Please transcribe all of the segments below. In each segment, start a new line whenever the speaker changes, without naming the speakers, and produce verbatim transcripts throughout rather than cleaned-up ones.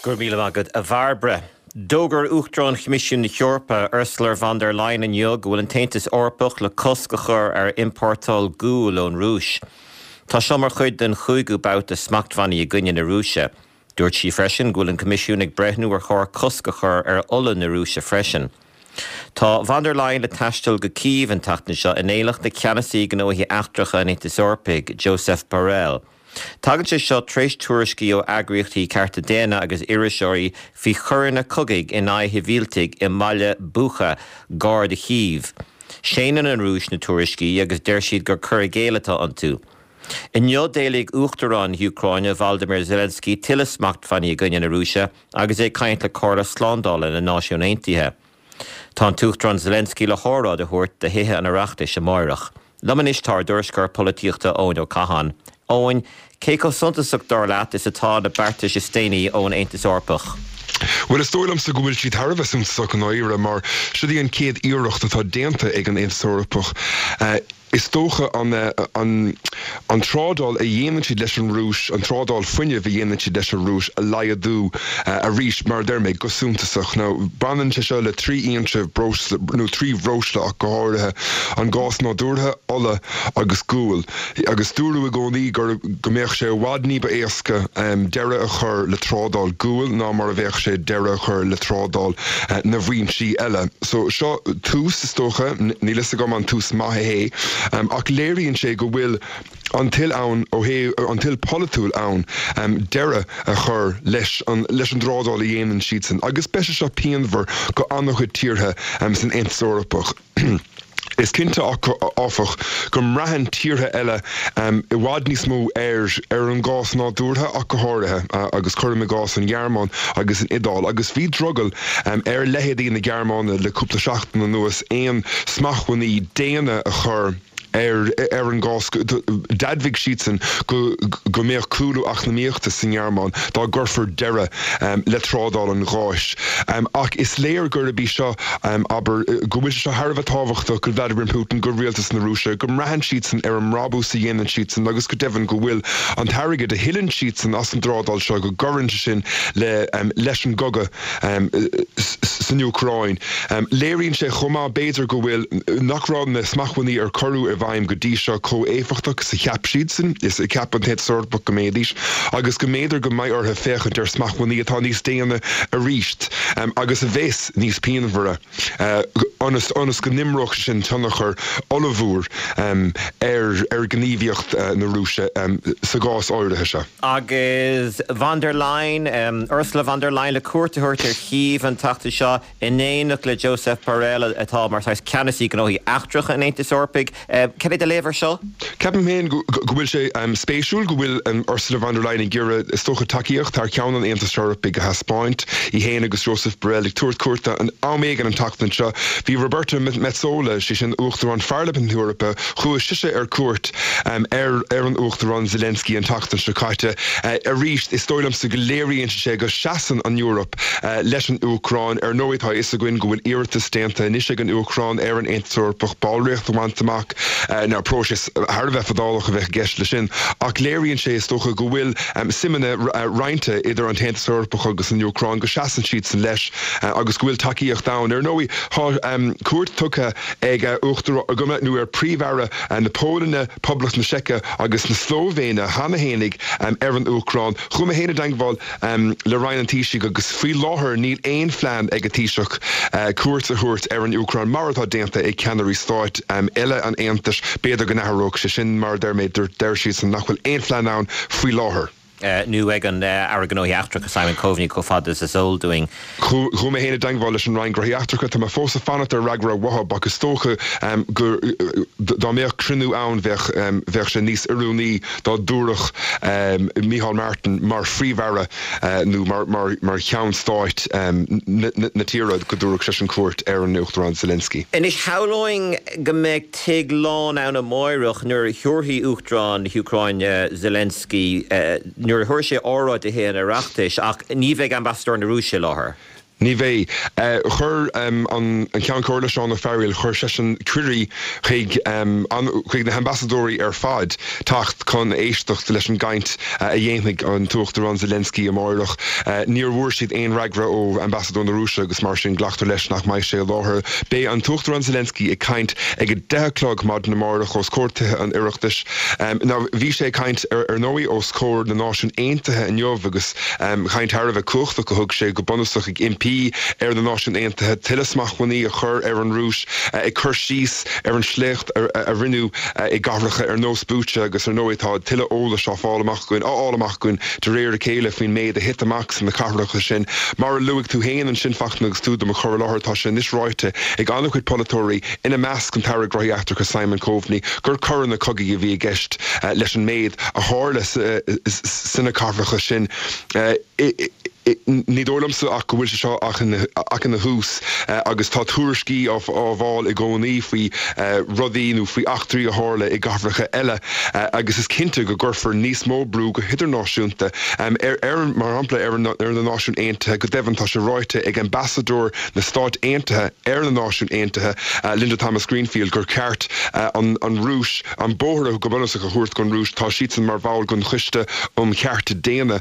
Go raibh míle maith agat, a Bhairbre. D'fhógair Uachtarán Choimisiún na hEorpa, Ursula von der Leyen, inniu go bhfuil an tAontas Eorpach le cosc a chur ar iompórtáil guail ón Rúis. Tá seo mar chuid den chúigiú babhta smachtbhannaí i gcoinne na Rúise. Dúirt sí freisin go bhfuil an Coimisiún ag breithniú ar chóir cosc a chur ar ola na Rúise freisin. Tá von der Leyen le taisteal go Cív an tseachtain seo in éineacht le ceannasaí gnóthaí eachtracha an Aontais Eorpaigh, Josep Borrell. Tagann sé seo tar éis tuairiscí ó eagraíochtaí cearta daonna agus iriseoirí faoi choireanna cogaidh in aghaidh shibhialtaigh i mbaile Bucha, gar do Chív. Séanann an Rúis na tuairiscí agus deir siad gur cur i gcéill atá iontu. Inniu d'éiligh Uachtarán na hÚcráine, Volodymyr Zelensky, tuilleadh smachtbhannaí i gcoinne na Rúise agus é ag caint le Comhairle Slándála na Náisiún Aontaithe. Tá an tUachtarán Zelensky le hóráid a thabhairt do Thithe an Oireachtais amárach. Liom anois tá ár dtuairisceoir polaitíochta Eoin Ó Catháin. Eoin, cé chomh suntasach dar leat is atá na beartais is déanaí ón Aontas Eorpach?
Bhuel, is dóigh liomsa go bhfuil siad thar a bheith suntasach i ndáiríre, mar seo í an chéad iarracht atá déanta ag an Aontas Eorpach, is dócha, an an an trádáil a dhéanann siad leis an Rúis, an trádáil fuinnimh a dhéanann siad leis an Rúis a laghdú arís, mar a deir mé, go suntasach. Now, baineann sé seo le trí fhoinse breosla, nó trí bhreosla ach go háirithe, an gás nádúrtha, ola agus gual. Agus dúradh i gcónaí gur go mbeadh sé i bhfad ní ba éasca deireadh a chur le trádáil guail ná mar a bheadh sé deireadh a chur le trádáil na bhfoinsí eile. So seo tús, is dócha, níl fhios agam an tús maith é, ach léiríonn sé go bhfuil an toil ann ó thaobh an toil polaitiúil ann deireadh a chur leis an leis an dtrádáil a dhéanann siadsan agus beidh sé seo pianmhar go an-chuid tíortha san Aontas Eorpach. Is cinnte, áfach, go mbraitheann tíortha eile i bhfad níos mó ar ar an gás nádúrtha ach go háirithe, agus cuirim i gcás an Ghearmáin agus an Iodáil, agus bhí drogall ar leithéidí na Gearmáine le cúpla seachtain anuas aon smachtbhannaí déine a chur ar ar an gás. D'admhaigh siadsan go go mbeadh cúlú eacnamaíochta sa nGearmáin dá gcuirfear deireadh le trádáil an gháis. Ach is léir gurb í seo, abair, go bhfuil sé seo thar a bheith tábhachtach go Vladimir Putin, go rialtas na Rúise, go mbraitheann siadsan ar an mbrabús a dhéanann siadsan agus go deimhin go bhfuil an t-airgead a thuilleann siadsan as an dtrádáil seo, go gcuireann sé sin le leis an gcogadh san Úcráin. Léiríonn sé chomh maith, b'fhéidir, go bhfuil nach raibh na smachtbhannaí ar cuireadh i bhfeidhm go dtí seo chomh éifeachtach is a cheap siadsan, is a cheap an tAontas Eorpach go mbeidís, agus go mb'fhéidir go mbeidh orthu féachaint ar smachtbhannaí atá níos déine arís agus a bheas níos pianmhaire ionas ionas go n-imreodh sé sin tionchar ollmhór ar ar ghníomhaíocht na Rúise sa gcás áirithe seo.
Agus von der Leyen, Ursula von der Leyen, le cuairt a thabhairt ar Chív an tseachtain seo in éineacht le Josep Borrell, atá mar saghas ceannasaí gnóthaí eachtracha an Aontais Eorpaigh. Cad é do léamh ar seo?
Ceapaim féin go bhfuil sé spéisiúil go bhfuil Ursula von der Leyen ag iarraidh, is dócha, tacaíocht thar ceann an Aontais Eorpaigh a thaispeáint, í féin agus Josep Borrell ag tabhairt cuairte an am éigin an tseachtain seo. Bhí Roberta Metsola, sé sin Uachtarán Pharlaimint na hEorpa, chuaigh sise ar cuairt ar ar an Uachtarán Zelensky an tseachtain seo caite. Arís, is dóigh liomsa go léiríonn sé go seasann an Eoraip leis an Úcráin. Ar ndóigh, tá a fhios againn go bhfuil iarratas déanta anois ag an Úcráin ar an Aontas Eorpach ballraíocht a bhaint amach. Now, próiseas thar a bheith fadálach a bheadh i gceist leis sin, ach léiríonn sé, is dócha, go bhfuil suimeanna roinnte idir an tAontas Eorpach agus an Úcráin, go seasann siadsan leis agus go bhfuil tacaíocht ann. Ar ndóigh, tá cuairt tugtha ag Uachtarán, nó ar Phríomh-Aire na Polainne, Poblacht na Seice agus na Slóivéine cheana fhéinig ar an Úcráin. Chuaigh mé féin i dteagmháil le Roinn an Taoisigh agus faoi láthair níl aon phlean ag an Taoiseach cuairt a thabhairt ar an Úcráin mar atá déanta ag ceannairí stáit eile an Aontais. B'fhéidir go n-athródh sé sin, mar a deir mé, deir siadsan nach bhfuil aon phlean ann faoi láthair.
Nó ag an Aire Gnóthaí Eachtracha Simon Coveney chomh fada is is eol dúinn.
Chuaigh mé féin i dteagmháil leis an Roinn Gnóthaí Eachtracha, tá mé fós ag fanacht ar fhreagra uathu ach is dócha go dá mbeadh cruinniú ann bheadh bheadh sé níos oiriúnaí dá dtabharfadh Micheál Martin mar Phríomh-Aire nó mar mar mar cheann stáit na tíre go dtabharfadh seisean cuairt ar an Uachtarán Zelensky.
Anois shamhlóinn go mbeidh tigh lán ann amáireach nuair a thabharfaidh Uachtarán na hÚcráine Zelensky, nuair a thabharfaidh sé óráid do Thithe an Oireachtais, ach ní bheidh ambasadóir na Rúise i láthair.
Ní bheidh. Chuir an Ceann Comhairle Seán Ó Fearghaíl, chuir seisean cuirí chuig chuig na hambasadóirí ar fad teacht chun éisteacht leis an gcaint a dhéanfaidh an tUachtarán Zelensky amárach. Níor bhfuair siad aon fhreagra ó ambasadóir na Rúise agus mar sin glactar leis nach mbeidh sé i láthair. Beidh an tUachtarán Zelensky ag caint ag a deich a chlog maidin amárach os comhair Tithe an Oireachtais. Now bhí sé ag caint ar ndóigh os comhair na Náisiún Aontaithe inniu agus caint thar a bheith cumhachtach a thug sé go bunúsach ag impí ar na Náisiúin Aontaithe tuilleadh smachtbhannaí a chur ar an Rúis, ag cur síos ar an sléacht a rinneadh i gcathracha ar nós Bucha agus ar ndóigh tá tuilleadh eolais á fáil amach againn, á fháil amach againn de réir a chéile faoin méid a thit amach sna cathracha sin. Mar a luaigh tú féin ansin, Fachtna, agus tú do mo chur i láthair, tá sé anois ráite ag an-chuid polaiteoirí, ina measc an tAire Gnóthaí Eachtracha Simon Coveney, gur coireanna cogaidh a bhí i gceist leis an méid a tharla sna cathracha sin. Ní dóigh liomsa ach go bhfuil sé seo ach ina thús agus tá tuairiscí á bhfáil i gcónaí faoi rudaí nó faoi eachtraí a tharla i gcathracha eile agus is cinnte go gcuirfear níos mó brú go hidirnáisiúnta ar, mar shampla, ar na Náisiúin Aontaithe. Go deimhin tá sé ráite ag ambasadóir na Stát Aontaithe ar na Náisiúin Aontaithe, Linda Thomas-Greenfield, gur ceart an Rúis, an bóthar go bunúsach a thabhairt don Rúis. Tá siadsan mar bhall den Choiste um Chearta Daonna.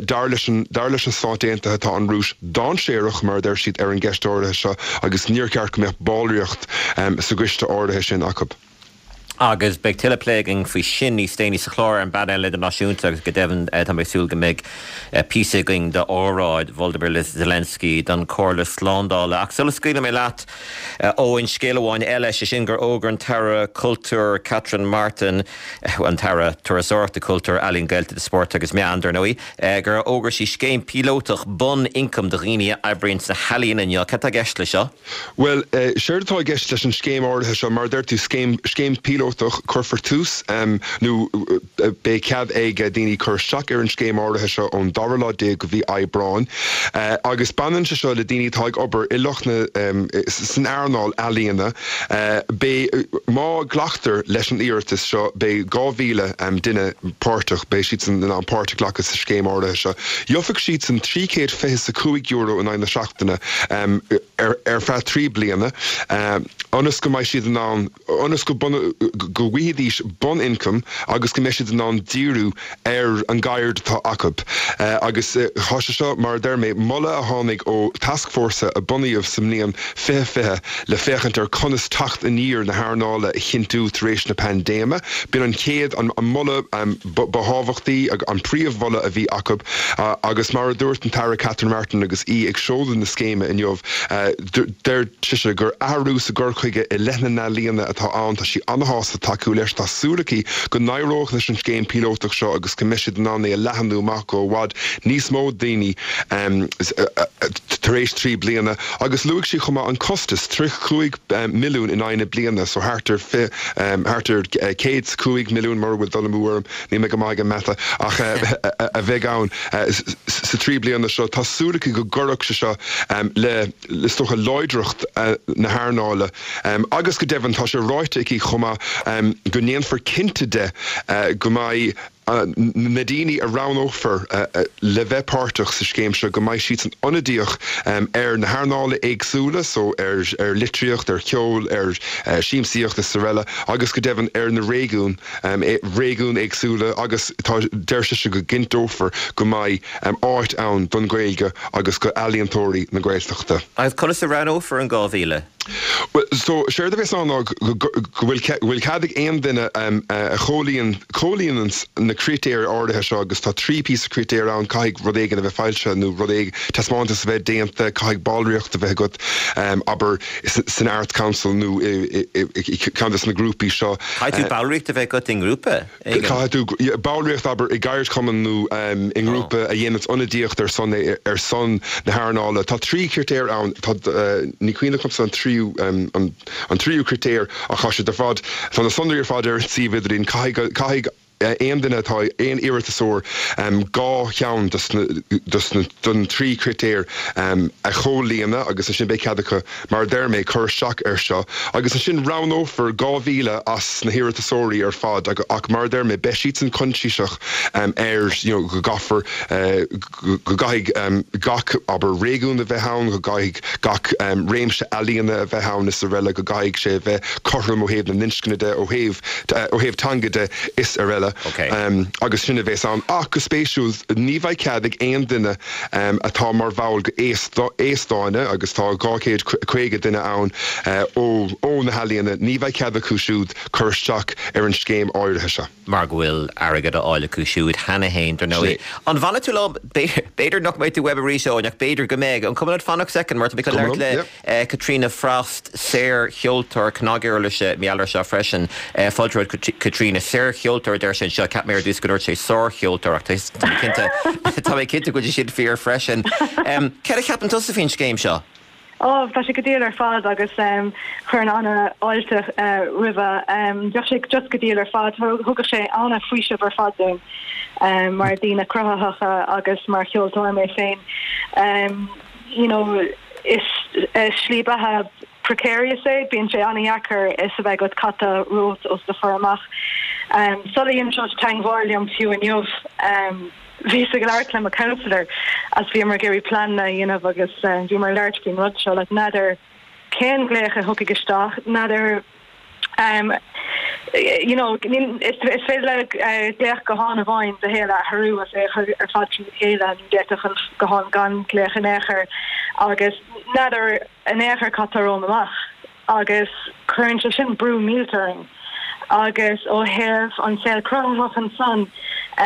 Dar leis an dar leis na Stáit Aontaithe tá an Rúis dainséarach, mar a deir siad, ar an gceist áirithe seo agus níor cheart go mbeadh ballraíocht sa gcoiste áirithe sin acu.
Agus beidh tuilleadh plé againn faoi sin níos déanaí sa chlár ar an bpainéal idirnáisiúnta agus go deimhin tá mé ag súil go mbeidh píosa againn d'óráid Volodymyr Zelensky don Chomhairle Slándála. Ach sula scaoilfidh mé leat, Eoin, scéal amháin eile, sé sin gur fhógair an tAire Cultúir Catherine Martin, an tAire Turasóireachta, Cultúir, Ealaíon, Gaeltachta, Spóirt agus Meán, dar ndóigh, gur fhógair sí scéim píolótach bun-ioncaim do dhaoine a oibríonn sna healaíona inniu. Cad tá i gceist leis seo?
Bhuel, séard atá i gceist leis an scéim áirithe seo, mar a deir tú, scéim, scéim píolótach, cuirfear tús, nó beidh cead ag daoine cur isteach ar an scéim áirithe seo ón dara lá déag de mhí Aibreáin, agus baineann sé seo le daoine atá ag obair i lucht na, san earnáil ealaíona. Beidh, má ghlactar leis an iarratas seo, beidh dhá mhíle duine páirteach, beidh siadsan in ann páirt a ghlacadh sa scéim áirithe seo. Gheobhaidh siadsan trí chéad fiche is a cúig euro in aghaidh na seachtaine ar feadh trí bliana ionas go mbeidh siad in ann, ionas go go bhfaighidís bun-ioncam agus go mbeidh siad in ann díriú ar an gceird atá acu. Agus tá sé seo, mar a deir mé, moladh a tháinig ó tascfhórsa a bunaíodh sa mbliain fiche fiche le féachaint ar conas teacht aniar na hearnála a chinntiú tar éis na paindéime. B'in an chéad, an moladh ba thábhachtaí, an príomh-mholadh a bhí acu agus mar a dúirt an tAire Catherine Martin agus í ag seoladh na scéime inniu, deir sise gur athrú sa gcur chuige i leith na n-ealaíona atá ann. Tá sí an-shásta tacú leis. Tá súil aici go n-éireoidh leis an scéim píolótach seo agus go mbeidh siad in ann é a leathanú amach go i bhfad níos mó daoine tar éis trí bliana. Agus luaigh sí chomh maith an costas, tríocha cúig milliún in aghaidh na bliana, so thart ar thart ar céad is cúig milliún mura bhfuil dul amú orm, níl mé go maith ag an mata, ach a bheidh ann sa trí bliana seo. Tá súil aici go gcuirfeadh sé seo le, is dócha, láidreacht na hearnála agus go deimhin tá sé ráite aici chomh maith go ndéanfar cinnte de go mbeidh na daoine a roghnófar le bheith páirteach sa scéim seo, go mbeidh siadsan ionadaíoch ar na hearnála éagsúla, so ar ar litríocht, ar cheol, ar siamsaíocht is araile agus go deimhin ar na réigiúin, réigiúin éagsúla agus tá, deir sise go gcinnteofar go mbeidh áit ann don Ghaeilge agus go ealaíontóirí na Gaeltachta.
Agus conas a roghnófar an dhá mhíle?
Bhuel, so, séard a bheas ann ná go bhfuil bhfuil cead ag aon duine a chomhlíon chomhlíonanns na critéir áirithe seo agus tá trí píosa critéir ann, caithfidh rud éigin a bheith foilsithe nó rud éigin, taispeántas a bheith déanta, caithfidh ballraíocht a bheith agat, abair, san Arts Council nó i i ceann de na grúpaí seo.
Caithfidh tú ballraíocht a bheith agat i ngrúpa éigin?
Caithfidh tú ballraíocht, abair, i gceardchumann nó i ngrúpa a dhéananns ionadaíocht ar son ar son na hearnála. Tá trí chritéar ann. Tá, ní cuimhin liomsa an tríú, an tríú critéar ach tá siad ar fad, tá na sonraí ar fad ar an suíomh idirlín. Caithfidh, caithfidh aon duine atá aon iarratasóir dhá cheann den trí chritéar a chomhlíonadh agus ansin beidh cead acu mar a deir mé cur isteach air seo agus ansin roghnófar dhá mhíle as na hiarratasóirí ar fad ach mar a deir mé beidh siadsan coinsiasach ar you know go gcaithfear go gcaithfidh gach abair réigiún a bheith ann go gcaithfidh gach réimse ealaíona a bheith ann is araile go gcaithfidh sé a bheith cothrom ó thaobh na n-inscne de ó thaobh ó thaobh teanga de is araile agus sin a bheas ann. Ach go spéisiúil ní bheidh cead ag aon duine atá mar bhall de Aosdána agus tá dhá chéad caoga duine ann ó ó na healaíona ní bheidh cead acu siúd cur isteach ar an scéim áirithe seo.
mar go bhfuil airgead á fháil acu siúd cheana féin dar ndóigh. An bhfanfaidh tú liom b'fhéidir nach mbeidh tú uaim arís Eoin ach b'fhéidir go mbeidh. An cuma leat fanacht soicind mar tá mé chun labhairt le Caitríona Frost, saorcheoltóir cnaguirlise mí seo freisin. Fáilte romhat Caitríona saorcheoltóir deir sé anseo cheap mé ar dtús go ndúirt sé sárcheoltóir ach tá mé cinnte go bhfuil sin fíor freisin. Céard a cheapann tusa faoin scéim seo?
Ó tá sé go diail ar fad agus um, chuirfinn an-fháilte uh, roimhe um, bheadh sé just go diail ar fad thugadh sé an-fhaoiseamh ar fad dúinn um, mar daoine cruthaitheacha agus mar cheoltóir mé féin. Um, you know, is uh, slí beatha precarious é bíonn sé an-deacair is a bheith agat cad tá romhat os do chomhair amach. Um, Sula ndearna seo teagmháil liom fiú inniu um, Bhíos ag labhairt le mo counselor as bhí mar géirí plan a dhéanamh agus uh, bhí mar labhairt faoin rud seo like n'fheadar cén glaoch a thiocfaidh isteach n'fheadar um, you know is is féidir le uh, glaoch gutháin amháin do shaol a athrú as é ar fad trí chéile nó d'fhéadfadh an guthán gan glaoch in aon chor agus n'fheadar in aon chor cad tá romham amach agus cuireann sé sin brú millteach orainn agus ó thaobh an saol cruthaitheach ansan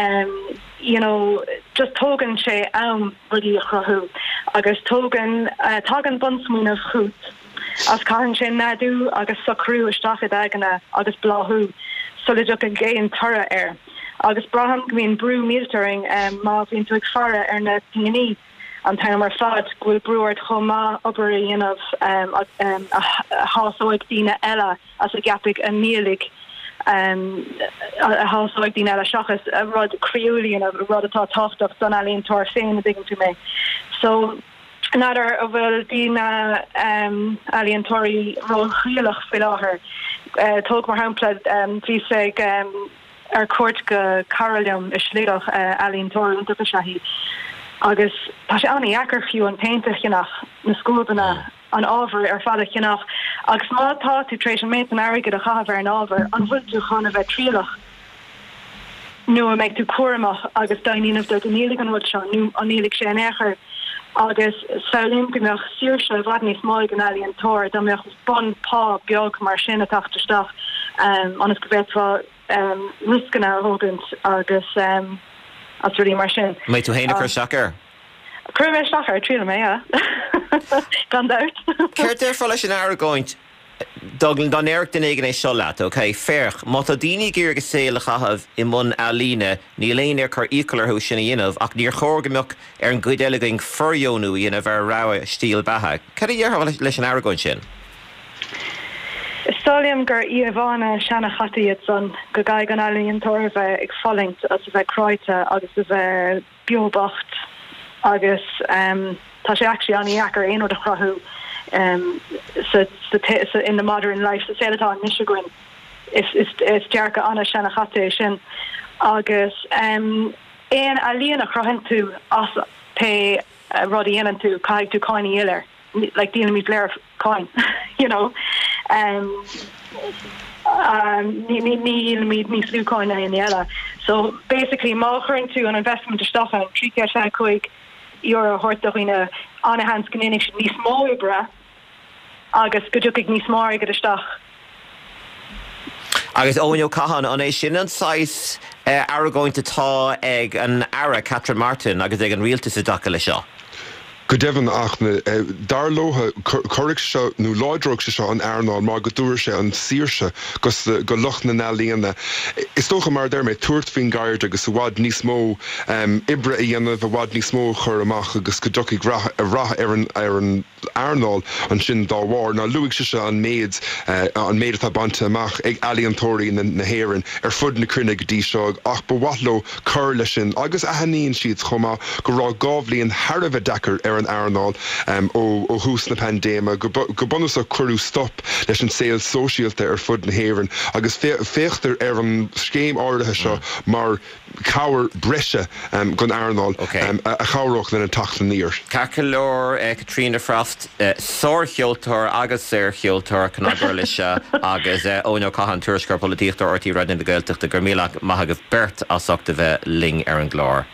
um, you know just tógann sé am rudaí a chruthú agus tógann uh, tagann bunsmaoineamh chugat as caitheann sé neadú agus socrú isteach i d'aigne agus bláthú sula dtiocfaidh aon toradh air. Agus braithim go mbíonn brú millteach orainn um, má bhíonn tú ag faire ar na pinginí an t-am ar fad go bhfuil brú ort chomh maith obair a dhéanamh um, um, a shásóidh daoine eile as a gceapfaidh a ndíolfaidh um, a shásóidh daoine eile seachas a rud croíúil a rud atá tábhachtach don ealaíontóir féin a dtuigeann tú mé. So n'fheadar an bhfuil daoine um, ealaíontóirí róthrialach faoi láthair. Uh, tóg mar shampla um, bhíos ag um, ar cuairt go cara liom i Sligeach uh, ealaíontóir iontach is ea í. Agus tá sé an-deacair fiú an péint a cheannach na scuabanna an ábhar ar fad a cheannach agus má tá tú tar éis an méid an airgead a chaitheamh ar an ábhar an bhfuil tú chun a bheith trialach nó an mbeidh tú cúramach agus déanamh de go ndíolfaidh an rud seo nó an ndíolfaidh sé in aon chor agus samhlaím go mbeadh saoirse i bhfad níos mó ag an ealaíontóir dá mbeadh bun pá beag mar sin ag teacht isteach um, ionas go bhféadfá um, rioscanna a thógaint agus um, as rudaí mar sin.
Mbeidh tú féin ag cur isteach air?
Chuir mé isteach air triail mé gan dabht.
Céard a déarfá leis an argóint dá ndéarfadh duine éigin é seo leat, ok, féach, má tá daoine ag iarraidh a saol a chaitheamh i mbun ealaíne, níl éinne ag cur iachall orthu sin a dhéanamh ach níor chóir go mbeadh ar an gcuid eile againn fóirdheonú a dhéanamh ar rogha stíl beatha. Cad a déarfá leis an argóint sin?
Is dóigh liom gur íomhánna seanchaite iad san go gcaithfidh an ealaíontóir a bheith ag fulaingt agus a bheith cráite agus a bheith beo bocht agus um, tá sé actually an-deacair aon rud a chruthú um, sa, sa, sa, in the modern life sa saol atá anois againn is, is, is dearcadh an-seanchaite é sin agus um, aon ealaíon a chruthaíonn tú as pé uh, rud a dhéanann tú caithfidh tú cáin a dhíol air like díolaimid go léir cáin you know um, um, ní ní ní níos lú cáin ná aon eile so basically má chuireann tú an investment isteach an trí sé cúig euro a thabhairt do dhaoine an-sheans go ndéanfaidh siad níos mó oibre agus go dtiocfaidh níos mó airgead isteach.
Agus Eoin Ó Catháin an é sin an saghas uh, argóint atá ag an Aire Catherine Martin agus ag an rialtas i dtaca le seo.
Go deimhin ach dar leo cuirfidh seo nó láidreoidh sé seo an earnáil mar go dtabharfaidh sé an saoirse go lucht na n-ealaíona. Is dócha mar a deir mé tabhairt faoin gceird agus i bhfad níos mó oibre a dhéanamh, i bhfad níos mó a chur amach agus go dtiocfaidh rath ar an ar an earnáil ansin dá bharr. Ná luaigh sise an méid an méid atá bainte amach ag ealaíontóirí na hÉireann ar fud na cruinne go dtí seo ach ba mhaith leo cur leis sin agus aithníonn siad chomh maith go raibh dhá bhliain thar a bheith deacair ar an earnáil ó thús na paindéime. Go bunúsach cuireadh stop leis an saol sóisialta ar fud na hÉireann agus féachtar ar an scéim áirithe seo mar chabhair breise don earnáil a chabhródh lena teacht aniar.
Ceart go leor, Caitríona Frost, sárcheoltóir agus saorcheoltóir cnaguirlise agus Eoin Ó Catháin, Tuairisceoir Polaitíochta RTÉ Raidió na Gaeltachta, go raibh míle maith agaibh beirt as ucht a bheith linn ar an gclár.